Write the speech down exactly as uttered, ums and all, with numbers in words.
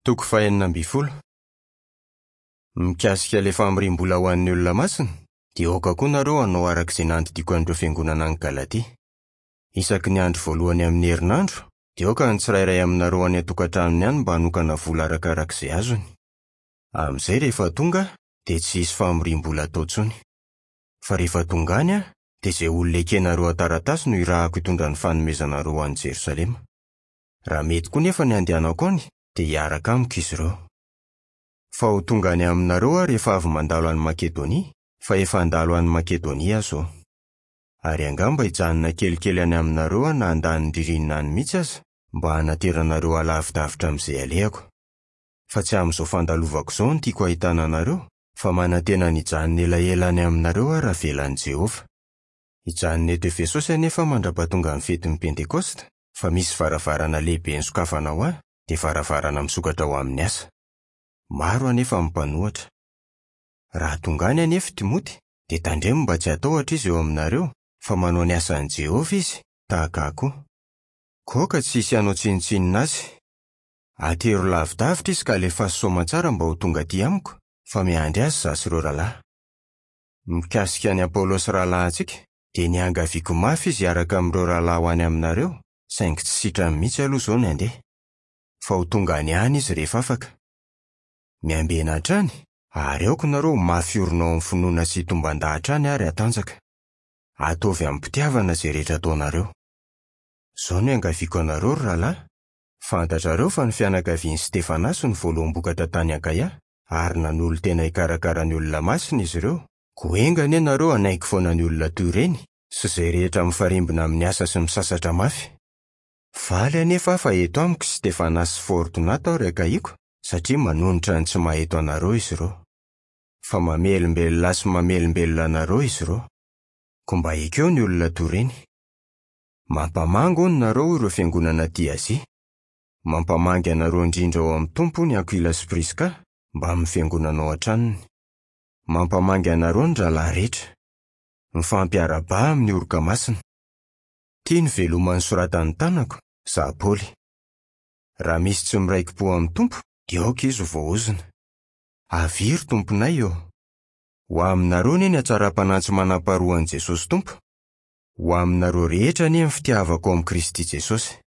Toko fahenina ambin'ny folo. Mikasika ilay famoriam-bola ho an'ny olona masina, dia aoka koa nareo hanao araka izay nandidiako an'ireo fiangonana any Galatia. Isaky ny andro voalohany amin'ny herinandro, dia aoka ny tsirairay aminareo any an-tokantranony any mba hanokana vola arakaraka izay azony. Amin'izay rehefa tonga aho, dia tsy hisy famoriam-bola atao intsony. Fa rehefa tonga any aho, dia izay olona ekenareo an-taratasy no irahako hitondra ny fanomezanareo ho any Jerosalema. Raha mety koa nefa ny handehanako any, dia hiaraka amiko izy ireo. Fa ho tonga any aminareo aho rehefa avy mandalo any Makedonia, fa efa handalo any Makedonia aho izao. Ary angamba hijanona kelikely any aminareo aho na handany ny ririnina any mihitsy aza, mba hanateranareo halavidavitra amin'izay alehako. Fa tsy amin'izao fandalovako izao no tiako hahitana anareo, fa manantena ny hijanona elaela any aminareo aho raha avelan'i Jehovah. Hijanona eto Efesosy anefa aho mandra-pahatonga ny fetin'ny Pentekosta, fa misy varavarana lehibe nisokafana ho ahy, dia varavarana misokatra ho amin'ny asa. Maro anefa ny mpanohatra. Raha tonga any anefa Timoty, dia tandremo mba tsy hatahotra izy eo aminareo, fa manao ny asan'i Jehovah izy, tahaka ahy koa. Koa aoka tsy hisy hanao tsinontsinona azy. Atero lavidavitra izy ka alefaso soamantsara mba ho tonga aty amiko, fa miandry azy izaho sy ireo rahalahy. Mikasika an'i Apolosy rahalahintsika, dia niangaviako mafy izy hiaraka amin'ireo rahalahy ho any aminareo, saingy tsy sitrany mihitsy aloha izao ny handeha. Fa ho tonga any ihany izy rehefa afaka. Miambena hatrany, ary aoka nareo ho mafy orina ao amin'ny finoana sy hitomban-dahatra hatrany ary hatanjaka. Ataovy amim-pitiavana izay rehetra ataonareo. Izao no iangaviako anareo, ry rahalahy. Fantatrareo fa ny fianakavian'i Stefanasy no voaloham-bokatra tany Akaia, ary nanolo-tena hikarakara ny olona masina izy ireo. Koa enga anie nareo hanaiky foana ny olona toy ireny, sy izay rehetra mifarimbona amin'ny asa sy misasatra mafy. Faly anefa aho fa eto amiko Stefanasy sy Fortonato ary Akaiko, satria manonitra ny tsy maha-eto anareo izy ireo. Fa mamelombelona ahy sy mamelombelona anareo izy ireo. Koa mba ekeo ny olona toy ireny. Mampamangy hono nareo ireo fiangonana aty Azia. Mampamangy anareo indrindra ao amin'ny Tompo ny Akoila sy Priska, mbamin'ny fiangonana ao an-tranony. Mampamangy anareo ny rahalahy rehetra. Mifampiarahaba amin'ny oroka masina. Tia ny veloma nosoratan'ny tanako, izaho Paoly. Raha misy tsy miraiki-po amin'ny Tompo, dia aoka izy ho voaozona. Avia ry Tomponay ô! Ho aminareo anie ny hatsaram-panahy tsy manam-paharoa an'i Jesosy Tompo. Ho aminareo rehetra anie ny fitiavako ao amin'i Kristy Jesosy.